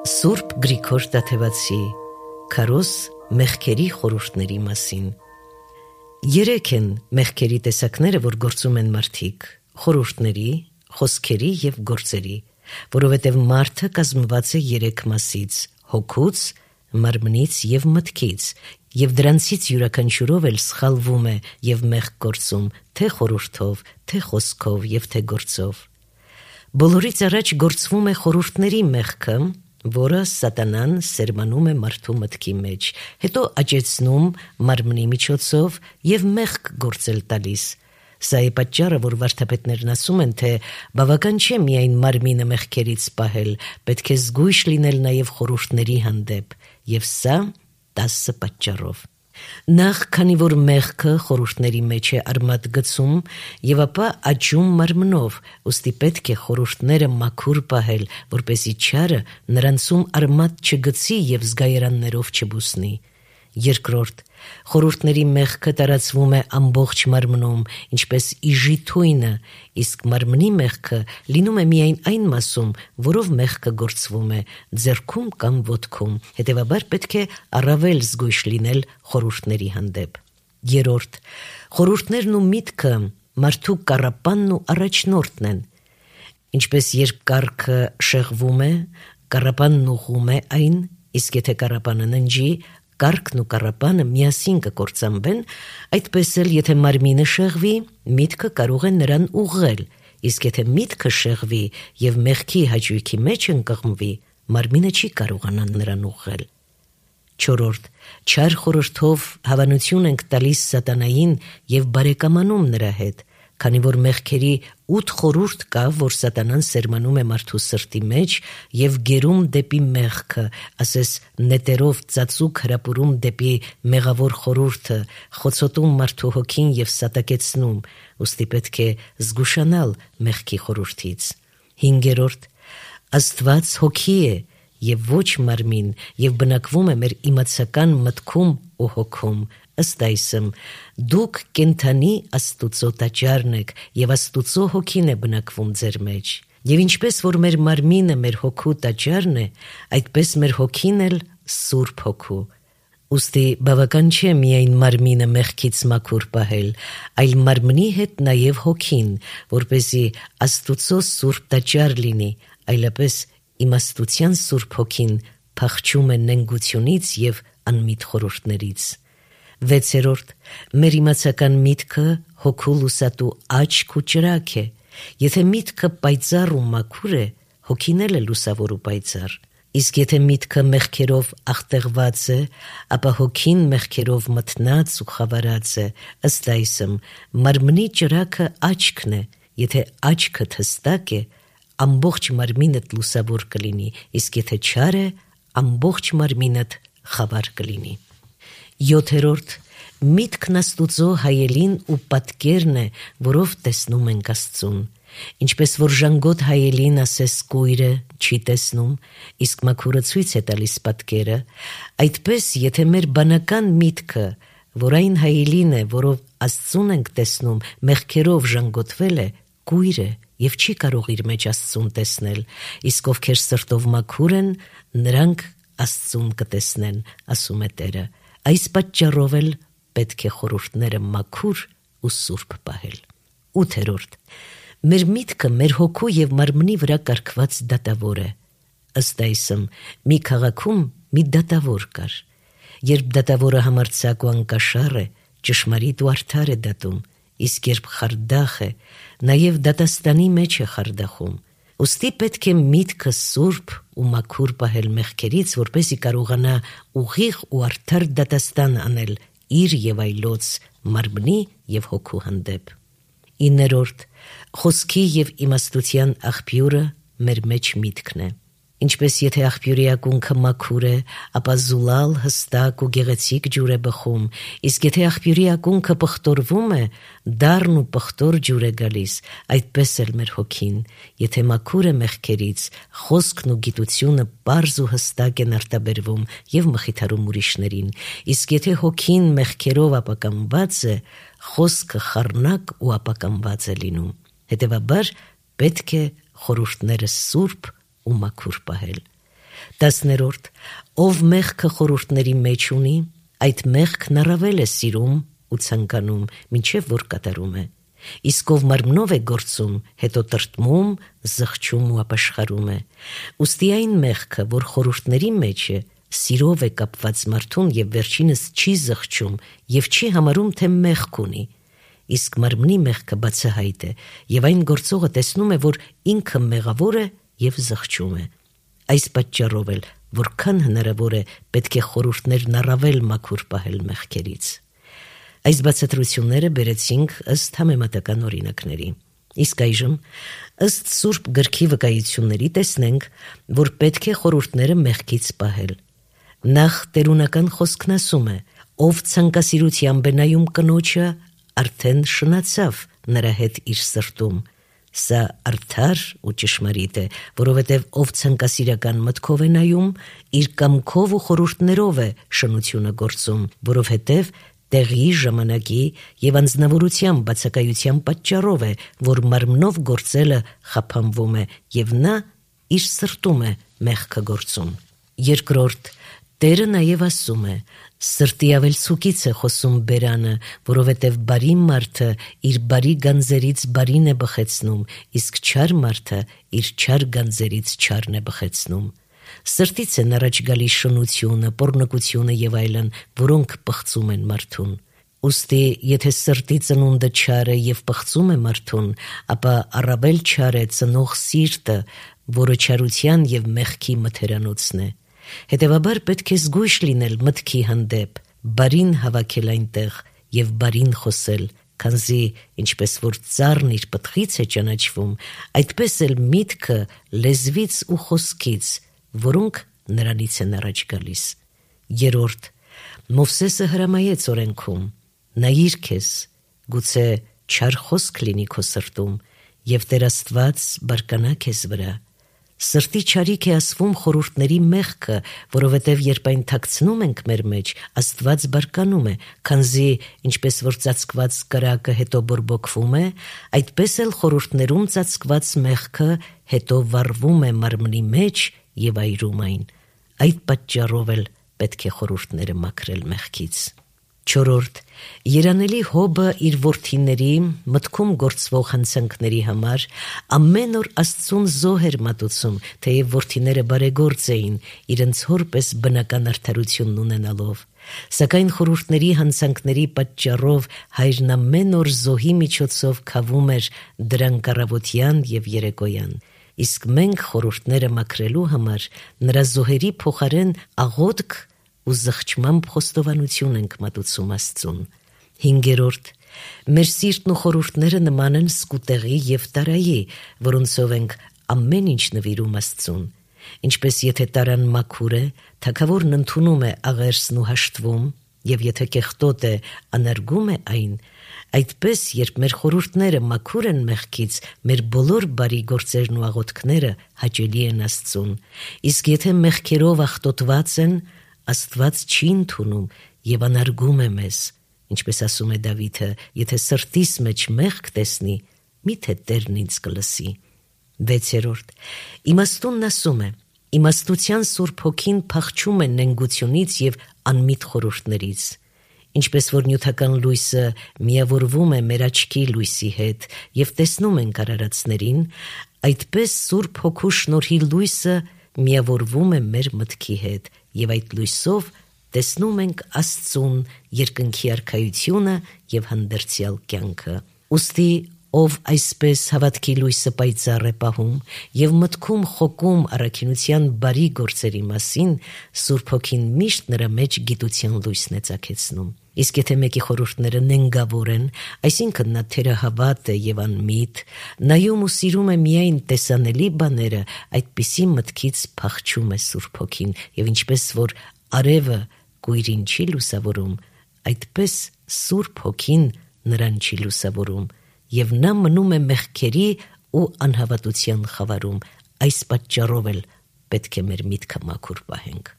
Սուրբ Գրիգոր Տաթևացի Քարոզ մեղքերի խորհուրդների մասին։ Երեք են մեղքերի տեսակները, որ գործում են մարդիկ՝ խորհուրդների, խոսքերի և գործերի, որովհետև մարդը կազմված է երեք մասից՝ հոգուց, մարմնից և մտքից, և դրանցից յուրաքանչյուրով էլ սխալվում է և մեղք գործում, թե խորհուրդով, թե խոսքով և թե գործով։ Բոլորից առաջ գործվում է խորհուրդների մեղքը, որը սատանան սերմանում է մարդու մտքի մեջ, հետո աճեցնում մարմնի միջոցով և մեղք գործել տալիս։ Սա է պատճառը, որ վարդապետներն ասում են, թե բավական չէ միայն մարմինը մեղքերից պահել, պետք է զգույշ լինել նաև խորհուրդների հանդեպ, և սա 10 պատճառով։ Նախ, քանի որ մեղքը խորհուրդների մեջ է արմատ գցում և ապա աճում մարմնով, ուստի պետք է խորհուրդները մաքուր պահել, որպեսզի չարը նրանցում արմատ չգցի և զգայարաններով չբուսնի։ Երկրորդ, խորհուրդների մեղքը տարածվում է ամբողջ մարմնում, ինչպես իժի թույնը, իսկ մարմնի մեղքը լինում է միայն այն մասում, որով մեղքը գործվում է՝ ձեռքում կամ ոտքում, հետևաբար պետք է առավել զգույշ լինել խորհուրդների հանդեպ։ Երրորդ, խորհուրդներն ու միտքը մարդու կառապանն ու առաջնորդն են։ Ինչպես երբ կառքը շեղվում է, կառապանն ուղղում է այն, իսկ եթե կառապանը ննջի, կառքն ու կառապանը միասին կկործանվեն, այդպես էլ եթե մարմինը շեղվի, միտքը կարող է նրան ուղղել, իսկ եթե միտքը շեղվի և մեղքի հաճույքի մեջ ընկղմվի, մարմինը չի կարողանա նրան ուղղել։ Չորրորդ, չար խորհրդով հավանություն ենք տալիս սատանային և բարեկամանում նրա հետ, քանի որ մեղքերի 8 խորհուրդ կա, որ սատանան սերմանում է մարդու սրտի մեջ և գերում դեպի մեղքը, ասես նետերով ծածուկ հրապուրում դեպի մեղավոր խորհուրդը, խոցոտում մարդու հոգին և սատակեցնում, ուստի պետք է զգուշանալ մեղքի խորհուրդից։ Հինգերորդ, Աստված հոգի է և ոչ մարմին և բնակվում է մեր իմացական մտքում ու հոգում, ըստ այսմ, դուք կենդանի Աստուծո տաճարն եք և Աստուծո հոգին է բնակվում ձեր մեջ։ Եվ ինչպես որ մեր մարմինը մեր հոգու տաճարն է, այդպես մեր հոգին էլ Սուրբ Հոգու։ Ուստի բավական չէ միայն մարմինը մեղքից մաքուր պահել, այլ մարմնի հետ նաև հոգին, որպեսզի Աստուծո սուրբ տաճար լինի, այլապես իմաստության Սուրբ Հոգին փախչում է նենգությունից և անմիտ խորհուրդներից։ Վեցերորդ, մեր իմացական միտքը հոգու լուսատու աչք ու ճրագ է։ Եթե միտքը պայծառ ու մաքուր է, հոգին էլ է լուսավոր ու պայծառ։ Իսկ եթե միտքը մեղքերով աղտեղված է, ապա հոգին մեղքերով մթնած ու խավարած է, ըստ այսմ, մարմնի ճրագը աչքն է, եթե աչքդ հստակ է, ամբողջ մարմինդ լուսավոր կլինի, իսկ եթե չար է, ամբողջ մարմինդ խավար կլինի։ Յոթերորդ, միտքն Աստուծո հայելին ու պատկերն է, որով տեսնում ենք Աստծուն։ Ինչպես որ ժանգոտ հայելին ասես կույրը չի տեսնում, իսկ մաքուրը ցույց է տալիս պատկերը, այդպես եթե մեր բանական միտքը, որ այն հայելին է, որով Աստծուն ենք տեսնում, մեղքերով ժանգոտվել է, կույր է և չի կարող իր մեջ Աստծուն տեսնել, իսկ ովքեր սրտով մաքուր են, նրանք Աստծուն կտեսնեն, ասում է Տերը։ Այս պատճառով էլ պետք է խորհուրդները մաքուր ու սուրբ պահել։ Ութերորդ, մեր միտքը մեր հոգու և մարմնի վրա կարգված դատավոր է։ Ըստ այսմ, մի քաղաքում մի դատավոր կար։ Երբ դատավորը համարձակ ու անկաշառ է, ճշմարիտ ու արդար է դատում, իսկ երբ խարդախ է, նաև դատաստանի մեջ է խարդախում։ Ուստի պետք է միտքը սուրբ ու մաքուր պահել մեղքերից, որպեսզի կարողանա ուղիղ ու արդար դատաստան անել իր և այլոց մարմնի և հոգու հանդեպ։ Իններորդ, խոսքի և իմաստության աղբյուրը մեր մեջ միտքն է։ Ինչպես եթե աղբյուրի ակունքը մաքուր է, ապա զուլալ, հստակ ու գեղեցիկ ջուր է բխում, իսկ եթե աղբյուրի ակունքը պղտորվում է, դառն ու պղտոր ջուր է գալիս, այդպես էլ մեր հոգին, եթե մաքուր է մեղքերից, խոսքն ու գիտությունը պարզ ու հստակ են արտաբերվում և մխիթարում ուրիշներին, իսկ եթե հոգին մեղքերով ապականված է, խոսքը խառնակ ու ապականված է լինում։ Հետևաբար պետք է խորհուրդները սուրբ ու մաքուր պահել։ 10. Ով մեղքը խորհուրդների մեջ ունի, այդ մեղքն առավել է սիրում ու ցանկանում, մինչև որ կատարում է։ Իսկ ով մարմնով է գործում, հետո տրտմում, զղջում ու ապաշխարում է։ Ուստի այն մեղքը, որ խորհուրդների մեջ է, սիրով է կապված մարդուն եւ վերջինս չի զղջում եւ չի համարում, թե մեղք ունի։ Իսկ մարմնի մեղքը բացահայտ է եւ այն գործողը տեսնում է, որ ինքը մեղավոր է եւ զղջում է։ Այս պատճառով էլ, որքան հնարավոր է, պետք է խորհուրդներն առավել մաքուր պահել մեղքերից։ Այս բացատրությունները բերեցինք ըստ համեմատական օրինակների։ Իսկ այժմ, ըստ Սուրբ գրքի վկայությունների, տեսնենք, որ պետք է խորհուրդները մեղքից պահել։ Նախ տերունական խոսքն ասում է. ով ցանկասիրությամբ է նայում կնոջը, արդեն շնացավ նրա հետ իր սրտում։ Սա արդար ու ճշմարիտ է, որովհետև ով ցանկասիրական մտքով է նայում, իր կամքով ու խորհուրդներով է շնությունը գործում, որովհետև տեղի, ժամանակի եւ անձնավորության բացակայության պատճառով է, որ մարմնով գործելը խափանվում է եւ նա իր սրտում է մեղքը գործում։ Երկրորդ, Տերը նաև ասում է. սրտի ավելցուկից է խոսում բերանը, որովհետև բարի մարդը իր բարի գանձերից բարին է բխեցնում, իսկ չար մարդը իր չար գանձերից չարն է բխեցնում։ Սրտից են առաջ գալիս շնությունը, պոռնկությունը եւ այլն, որոնք պղծում են մարդուն։ Ուստի, եթե սրտի ծնունդը չար է եւ պղծում է մարդուն, ապա առավել չար է ծնող սիրտը, որը չարության եւ մեղքի մթերանոցն է։ Հետևաբար պետք է զգույշ լինել մտքի հանդեպ, բարին հավաքել այնտեղ եւ բարին խոսել, քանզի ինչպես որ ծառն իր պտղից է ճանաչվում, այդպես էլ միտքը լեզվից ու խոսքից, որոնք նրանից են առաջ գալիս։ Երրորդ, Մովսեսը հրամայեց օրենքում. նայիր քեզ, գուցե չար խոսք լինի քո սրտում եւ Տեր Աստված բարկանա քեզ վրա։ Սրտի չարիք է ասվում խորհուրդների մեղքը, որովհետև երբ այն թաքցնում ենք մեր մեջ, Աստված բարկանում է, քանզի ինչպես որ ծածկված կրակը հետո բորբոքվում է, այդպես էլ խորհուրդներում ծածկված մեղքը հետո վառվում է մարմնի մեջ եւ այրում այն։ Այդ պատճառով էլ պետք է խորհուրդները մաքրել մեղքից։ Չորրորդ, երանելի Հոբը իր որդիների մտքում գործվող հանցանքների համար ամեն օր Աստծուն զոհ էր մատուցում, թեև որդիները բարեգործ էին, իրենց հոր պես բնական արդարությունն ունենալով։ Սակայն խորհուրդների հանցանքների պատճառով հայրն ամեն օր զոհի միջոցով քավում էր դրանք առավոտյան եւ երեկոյան։ Իսկ մենք խորհուրդները մաքրելու համար նրա զոհերի փոխարեն աղոթք ու զղջմամբ խոստովանություն ենք մատուցում Աստծուն։ 5. Մեր սիրտն ու խորհուրդները նման են սկուտեղի եւ տարայի, որոնցով ենք ամեն ինչ նվիրում Աստծուն։ Ինչպես եթե տարան մաքուր է, թագավորն ընդունում է աղերսն ու հաշտվում, եւ եթե կեղտոտ է, անարգում է այն, այդպես երբ մեր խորհուրդները մաքուր են մեղքից, մեր բոլոր բարի գործերն ու աղոթքները հաճելի են Աստծուն։ Իսկ եթե մեղքերով աղտոտված են, Աստված չի ընդունում եւ անարգում է մեզ, ինչպես ասում է Դավիթը. եթե սրտիս մեջ մեղք տեսնի, միթե Տերն ինձ կլսի։ 6. Իմաստունն ասում է. իմաստության Սուրբ Հոգին փախչում է նենգությունից եւ անմիտ խորհուրդներից։ Ինչպես որ նյութական լույսը միավորվում է մեր աչքի լույսի հետ եւ տեսնում ենք արարածներին, այդպես Սուրբ Հոգու շնորհի լույսը միավորվում է մեր մտքի հետ եւ այդ լույսով տեսնում ենք Աստծուն, երկնքի արքայությունը եւ հանդերձյալ կյանքը։ Ուստի ով այսպես հավատքի լույսը պայծառ է պահում եւ մտքում խոկում առաքինության բարի գործերի մասին, Սուրբ Հոգին միշտ նրա մեջ գիտության լույսն է ծագեցնում։ Իսկ եթե մեկի խորհուրդները նենգավոր են, այսինքն նա թերահավատ է եւ անմիտ, նայում ու սիրում է միայն տեսանելի բաները, այդպիսի մտքից փախչում է Սուրբ Հոգին եւ ինչպես որ արևը կույրին չի լուսավորում, այդպես Սուրբ Հոգին նրան չի լուսավորում եւ նա մնում է մեղքերի ու անհավատության խավարում։ Այս պատճառով էլ պետք է մեր միտքը մաքուր պահենք։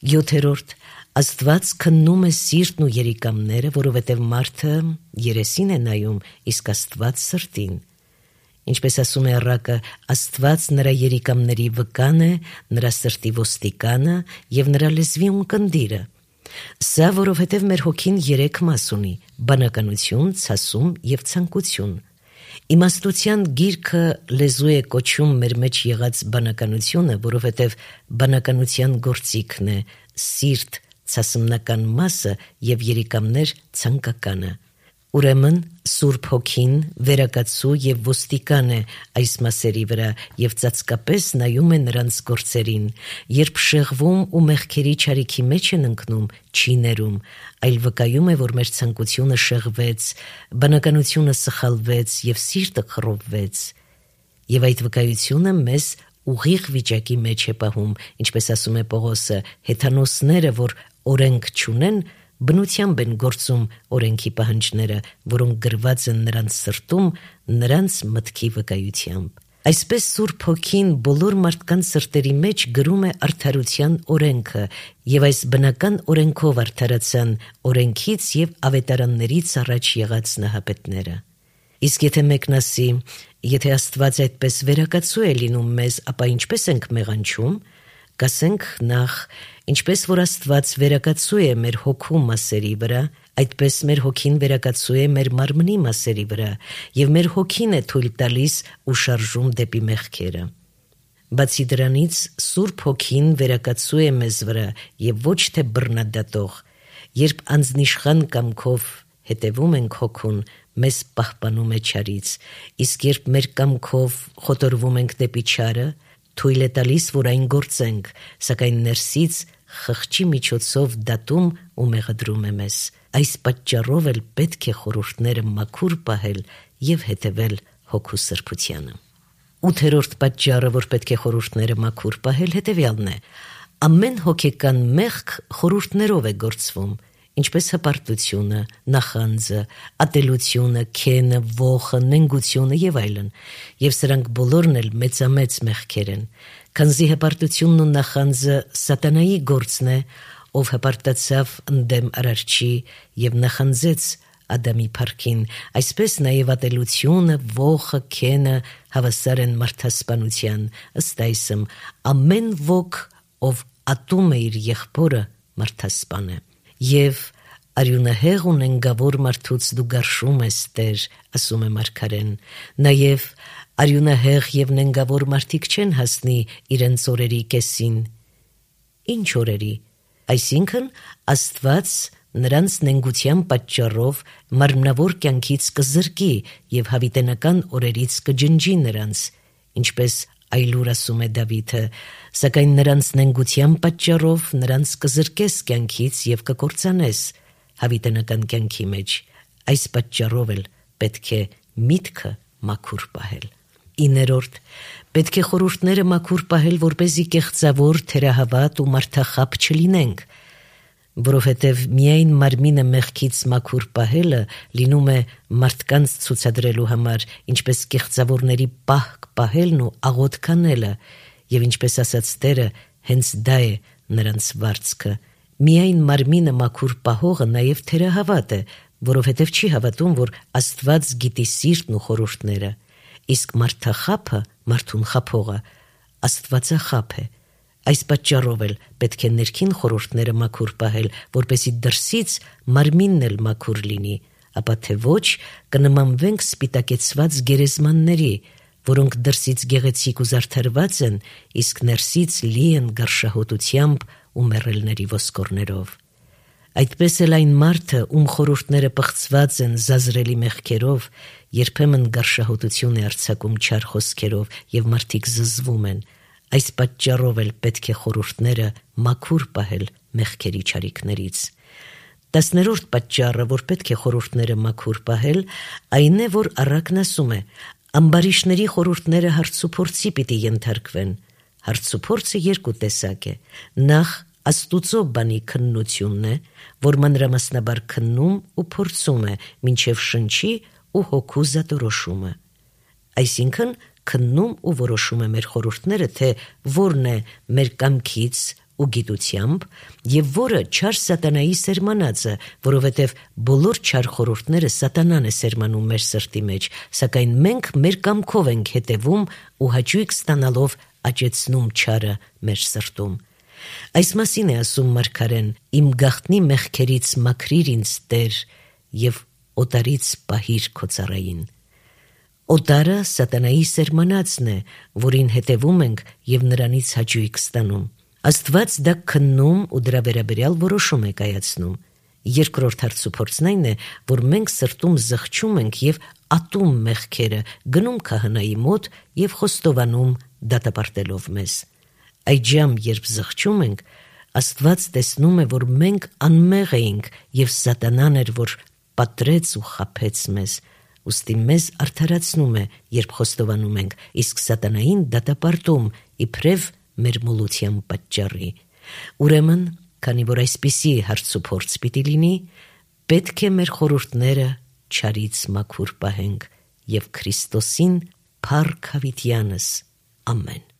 7. Աստված քննում է սիրտն ու երիկամները, որովհետև մարդը երեսին է նայում, իսկ Աստված սրտին։ Ինչպես ասում է առակը, Աստված նրա երիկամների վկան է, նրա սրտի ոստիկանը և նրա լեզվի ունկնդիրը։ Սա որովհետև մեր հոգին 3 մաս ունի՝ բանականություն, ցասում և ցանկություն։ Իմաստության գիրքը լեզու է կոչում մեր մեջ եղած բանականությունը, որովհետև բանականության գործիքն է սիրտ, ցասմնական մասը և երիկամներ ցանկականը։ Ուրեմն Սուրբ Հոգին վերակացու և ոստիկան է այս մասերի վրա և ծածկապես նայում է նրանց գործերին։ Երբ շեղվում ու մեղքերի չարիքի մեջ են ընկնում, չի ներում, այլ վկայում է, որ մեր ցանկությունը շեղվեց, բանականությունը սխալվեց և սիրտը խռովվեց։ Եվ այդ վկայությունը մեզ ուղիղ վիճակի մեջ է պահում, ինչպես ասում է Պողոսը, հեթանոսները, որ օրենք չունեն, բնությամբ են գործում օրենքի պահանջները, որոնք գրված են նրանց սրտում, նրանց մտքի վկայությամբ։ Այսպես Սուրբ Հոգին բոլոր մարդկանց սրտերի մեջ գրում է արդարության օրենքը, և այս բնական օրենքով արդարացան օրենքից և ավետարաններից առաջ եղած նահապետները։ Իսկ եթե մեկն ասի, եթե Աստված այդպես վերակացու է լինում մեզ, ապա ինչպես ենք մեղանչում, կասենք նախ, ինչպես որ Աստված վերակացու է մեր հոգու մասերի վրա, այդպես մեր հոգին վերակացու է մեր մարմնի մասերի վրա, և մեր հոգին է թույլ տալիս ու շարժում դեպի մեղքերը։ Բացի դրանից, Սուրբ Հոգին վերակացու է մեզ վրա և ոչ թե բռնադատող, երբ անձնիշխան կամքով հետևում ենք հոգուն, մեզ պահպանում է չարից, իսկ երբ մեր կամքով խոտորվում ենք դեպի չարը, թույլ է տալիս, որ այն գործենք, սակայն ներսից խղճի միջոցով դատում ու մեղադրում է մեզ։ Այս պատճառով էլ պետք է խորհուրդները մաքուր պահել և հետևել հոգու սրբությանը։ 8-րդ պատճառը, որ պետք է խորհուրդները մաքուր պահել, հետևյալն է. ամեն հոգեկան մեղք խորհուրդներով է գործվում, ինչպես հպարտությունը, նախանձը, ատելությունը, քենը, ոխը, նենգությունը և այլն, և սրանք բոլորն էլ մեծամեծ մեղքեր են, քանզի հպարտությունն ու նախանձը սատանայի գործն է, ով հպարտացավ ընդդեմ Արարչի և նախանձեց Ադամի փառքին, այսպես նաև ատելությունը, ոխը, քենը հավասար են մարդասպանության, ըստ այսմ, ամեն ոք, ով ատում է իր եղբորը, մարդասպան է։ Եվ արյունահեղ ու նենգավոր մարդուց դու գարշում ես, Տեր, ասում է մարգարեն, նաև արյունահեղ և նենգավոր մարդիկ չեն հասնի իրենց օրերի կեսին։ Ինչ օրերի։ Այսինքն Աստված նրանց նենգության պատճառով մարմնավոր կյանքից կզրկի և հավիտենական օրերից կջնջի նրանց, ինչպես այլուր ասում է Դավիթը, սակայն նրանց նենգության պատճառով նրանց կզրկես կյանքից և կկործանես հավիտենական կյանքի մեջ։ Այս պատճառով էլ պետք է միտքը մաքուր պահել։ 9. Պետք է խորհուրդները մաքուր պահել, որպեսզի կեղծավոր, թերահավատ ու մարդախապ չլինենք, որովհետև միայն մարմինը մեղքից մաքուր պահելը լինում է մարդկանց ցուցադրելու համար, ինչպես կեղծավորների պահք պահելն ու աղոթ կանելը, և ինչպես ասաց Տերը, հենց դա է նրանց վարձքը։ Միայն մարմինը մաքուր պահողը նաև թերահավատ է, որովհետև չի հավատում, որ Աստված գիտի սիրտն ու խորհուրդները, իսկ մարդախաբը, մարդուն խաբողը, աստվածախաբ է։ Այս պատճառով էլ պետք է ներքին խորհուրդները մաքուր պահել, որպեսզի դրսից մարմինն էլ մաքուր լինի, ապա թե ոչ կնմանվենք սպիտակեցված գերեզմանների, որոնք դրսից գեղեցիկ ու զարդարված են, իսկ ներսից լի են գարշահոտությամբ ու մեռելների ոսկորներով։ Այդպես էլ այն մարդը, ում խորհուրդները պղծված են զազրելի մեղքերով, երբեմն գարշահոտություն է արձակում չար խոսքերով և մարդիկ զզվում են։ Այս պատճառով էլ պետք է խորհուրդները մաքուր պահել մեղքերի չարիքներից։ 10-րդ պատճառը, որ պետք է խորհուրդները մաքուր պահել, այն է, որ առակն ասում է. ամբարիշների խորհուրդները հարցուփորձի պիտի ենթարկվեն։ Հարցուփորձը երկու տեսակ է։ Նախ Աստուծո բանի քննությունն է, որ մանրամասնաբար քննում ու փորձում է, մինչև շնչի ու հոգու զատորոշումը։ Այսինքն քննում ու որոշում է մեր խորհուրդները, թե որն է մեր կամքից ու գիտությամբ, եւ որը չար սատանայի սերմանածը, որովհետեւ բոլոր չար խորհուրդները սատանան է սերմանում մեր սրտի մեջ, սակայն մենք մեր կամքով ենք հետևում ու հաճույք ստանալով աճեցնում չարը մեր սրտում։ Այս մասին է ասում մարգարեն. «Իմ գաղտնի մեղքերից մաքրիր ինձ, Տեր, եւ օտարից պահիր քո ծառային»։ Օտարը սատանայի սերմանածն է, որին հետևում ենք եւ նրանից հաճույք ստանում։ Աստված դա քննում ու դրա վերաբերյալ որոշում է կայացնում։ Երկրորդ հարցուփորձն այն է, որ մենք սրտում զղջում ենք եւ ատում մեղքերը, գնում քահանայի մոտ եւ խոստովանում դատապարտելով մեզ։ Այժմ, երբ զղջում ենք, Աստված տեսնում է, որ մենք անմեղ էինք եւ սատանան էր, որ պատրեց ու խաբեց մեզ։ Ուստի մեզ արդարացնում է, երբ խոստովանում ենք, իսկ սատանային դատապարտում իբրև մեր մոլության պատճառի։ Ուրեմն, քանի որ այսպիսի հարցուփորձ պիտի լինի, պետք է մեր խորհուրդները չարից մաքուր պահենք եւ Քրիստոսին փառք հավիտյանս։ Ամեն։